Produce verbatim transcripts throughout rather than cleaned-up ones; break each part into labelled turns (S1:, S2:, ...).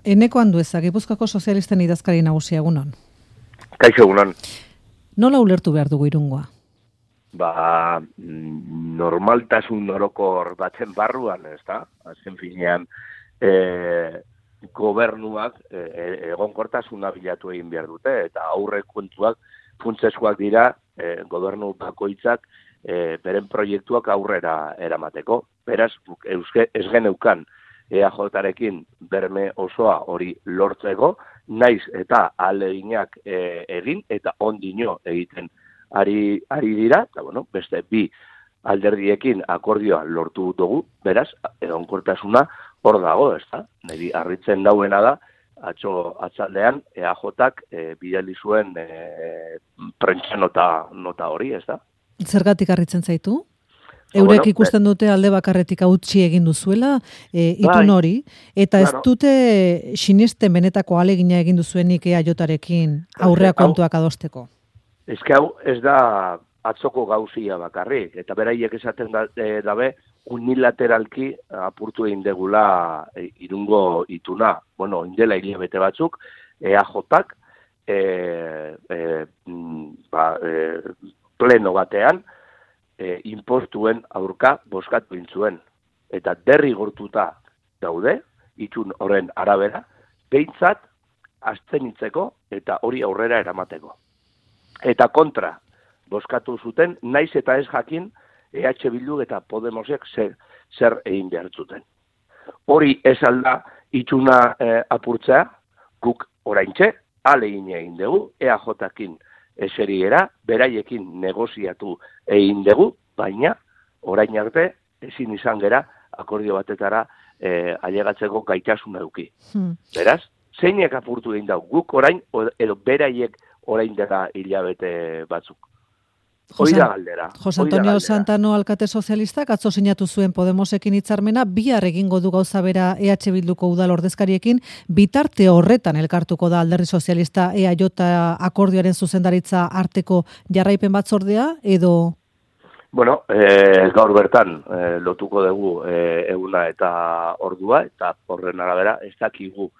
S1: Eneko Andueza, Gipuzkoako sozialisten idazkari nagusia, egunon.
S2: Kaixo, egunon.
S1: Nola ulertu behar dugu Irungoa?
S2: Ba, normaltasun orokor baten barruan, ez da? Azken finean, e, gobernuak e, egonkortasuna bilatu egin behar dute, eta aurrekontuak funtsezkoak dira e, gobernu bakoitzak e, beren proiektuak aurrera eramateko. Beraz, euske, ez geneukan E A J-rekin berme osoa hori lortzeko, naiz eta ahaleginak e, egin eta ondino egiten ari, ari dira, eta bueno, beste bi alderdiekin akordioa lortu dugu, beraz, egonkortasuna hor dago, ez da? Niri harritzen dauena da, atzo atzaldean E A J-ak e, bidali zuen e, prentsa nota, nota hori, ez da?
S1: Zergatik harritzen zaitu? Eurek bueno, ikusten dute alde bakarretik hautsi egin duzuela, e, itun hori, eta ez claro. dute sinisten benetako alegina egin duzuenik E A J-rekin aurrea kontuak adosteko.
S2: Ez que hau ez da atzoko gauzia bakarrik, eta beraiek esaten da, e, dabe unilateralki apurtu egin degula e, Irungo ituna. Bueno, indela hilabete batzuk, E A J-ak e, e, ba, e, pleno batean, E, inpostuen aurka boskatu intzuen. Eta derrigortuta daude, itun horren arabera, behintzat abstenitzeko eta hori aurrera eramateko. Eta kontra boskatu zuten, naiz eta ez jakin E H Bildu eta Podemosek zer, zer egin behar zuten. Hori ez alda ituna e, apurtzea, guk oraintxe, alegin egin dugu, E A J-akin eseriera, beraiekin negoziatu egin dugu, baina orain arte ezin izan gera akordio batetara e, ailegatzeko gaitasun eduki. Hmm. Beraz, zeinek apurtu egin dau, guk orain, edo beraiek orain dela hilabete batzuk. Hoi da galdera.
S1: Jose Antonio Santano alkate sozialistak atzo sinatu zuen Podemosekin hitzarmena, bihar egingo du gauza bera E H Bilduko udal ordezkariekin, bitarte horretan elkartuko da Alderdi Sozialista E A J akordioaren zuzendaritza arteko jarraipen batzordea, edo...
S2: Bueno, e, gaur bertan e, lotuko dugu e, eguna eta ordua, eta horren arabera ez dakigu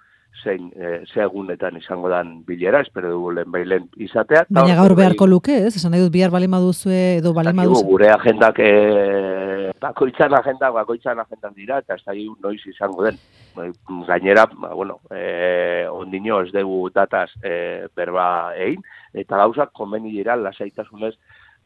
S2: zein e, ze egunetan izango dan bilera, espero dugu lehen bailen izatea.
S1: Baina gaur beharko luke, ez? Esan nahi dut bihar balema duzue edo balema duzue.
S2: Gure agendak, e, bakoitzan agendak, bakoitzan agendak dira, eta ez da noiz izango den. Gainera, bueno, e, ondino ez dugu dataz e, berba egin, eta gauzak konbeni dira lasaitasunez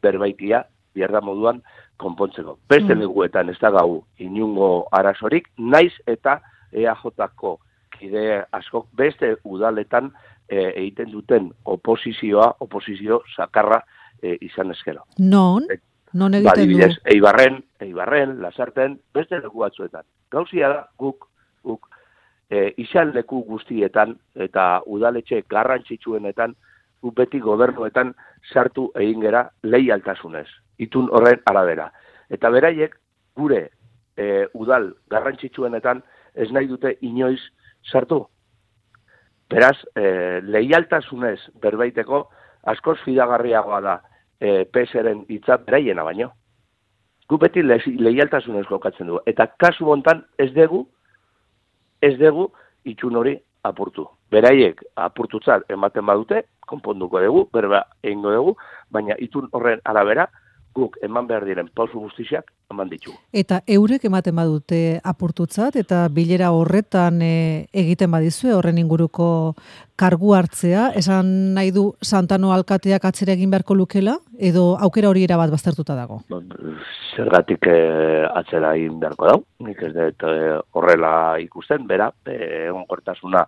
S2: berbaitia bierda moduan konpontzeko. Beste mm. leguetan ez da gau inungo arazorik, naiz eta E A J-ko kide askok beste udaletan e, egiten duten oposizioa, oposizio sakarra e, izan ezkero.
S1: Non? E, non egiten
S2: badibidez, du? Eibarren, Eibarren, Lasarten, beste leku batzuetan. Gauzia da, guk, guk, e, izan leku guztietan eta udaletxe garrantzitsuenetan, guk beti gobernuetan sartu egin gera leialtasunez, itun horren arabera. Eta beraiek, gure e, udal garrantzitsuenetan ez nahi dute inoiz sartu. Beraz, e, leialtasunez berbaiteko askoz fidagarriagoa da e, P S ren hitza beraiena baino. Gu beti le, leialtasunez jokatzen du. Eta kasu hontan ez dugu, ez dugu itxun hori apurtu. Beraiek apurtutzat ematen badute, konponduko dugu, berba egingo dugu, baina itun horren arabera, guk eman behar diren pausu guztiak eman ditugu.
S1: Eta eurek ematen badute apurtutzat, eta bilera horretan e, egiten badizue, horren inguruko kargu hartzea, esan nahi du Santano alkateak atzera egin beharko lukela, edo aukera hori erabat baztertuta dago?
S2: Zergatik e, atzera egin beharko dau, nik ez dut e, horrela ikusten, bera, egonkortasuna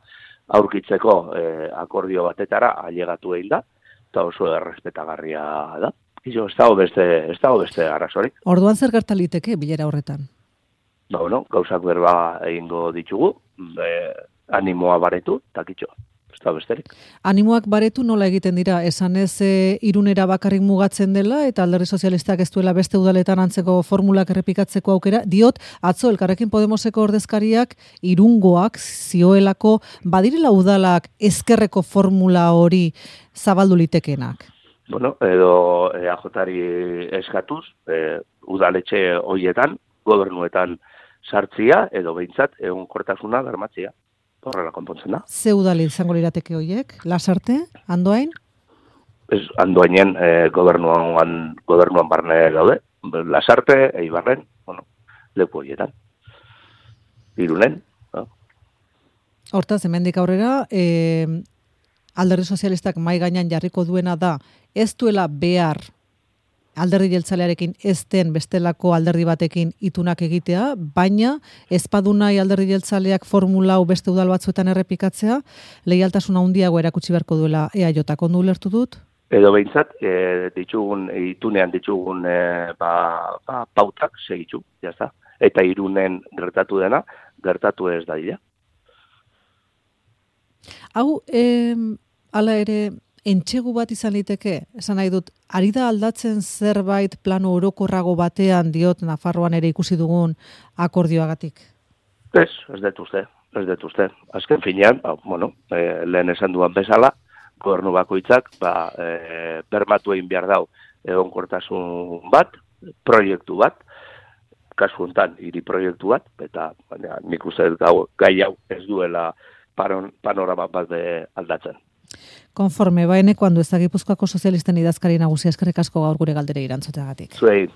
S2: aurkitzeko e, akordio batetara ailegatu egin da, eta oso errespetagarria da. Izo, ez dago beste, ez dago beste arrazorik.
S1: Orduan zer gertaliteke bilera horretan?
S2: Ba, bueno, gauzak berba egingo ditugu, be, animoa baretu, takitxo, ez dago besterik.
S1: Animoak baretu nola egiten dira? Esan ez e, Irunera bakarrik mugatzen dela, eta Alderdi Sozialistak ez duela beste udaletan antzeko formulak errepikatzeko aukera. Diot, atzo Elkarrekin Podemoseko ordezkariak Irungoak zioelako badirela udalak ezkerreko formula hori zabaldu litekenak.
S2: Bueno, edo E A J-ari eskatuz, e, udaletxe horietan, gobernuetan sartzia, edo behintzat egonkortasuna bermatzia. horrela konpontzen da.
S1: Ze udal izango lirateke horiek? Lasarte, Andoain?
S2: Ez, Andoainen eh, gobernuan, gobernuan barne daude, Lasarte, Eibarren, bueno, leku horietan. Irunen. No?
S1: Hortaz, hemendik aurrera, eh, Alderdi Sozialistak mai gainean jarriko duena da, ez duela behar alderdi jeltzalearekin ez den bestelako alderdi batekin itunak egitea, baina ezpadu nahi alderdi jeltzaleak formula hau beste udal batzuetan errepikatzea, leialtasuna handiago erakutsi beharko duela E A J, ondo ulertu dut?
S2: Edo behintzat, e, ditugun, itunean ditugun e, ba, ba, pautak segitu, jazta. Eta Irunen gertatu dena, gertatu ez da dira.
S1: Hau, eh, ala ere, entxegu bat izan liteke, esan nahi dut, ari da aldatzen zerbait plano orokorrago batean diot Nafarroan ere ikusi dugun akordioagatik?
S2: Ez, ez dut uste, ez dut uste. Azken finean, ba, bueno, e, lehen esan duan bezala, gobernu bakoitzak, ba, e, bermatu egin behar dau egonkortasun bat, proiektu bat, kasu honetan, hiri proiektu bat, eta baina, nik uste gau, gai hau ez duela paron, panorama bat aldatzen.
S1: Konforme, baene, kuando ez da Gipuzkoako sozialisten idazkari nagusia, eskerrik asko gaur gure galdere irantzoteagatik.
S2: Zuei,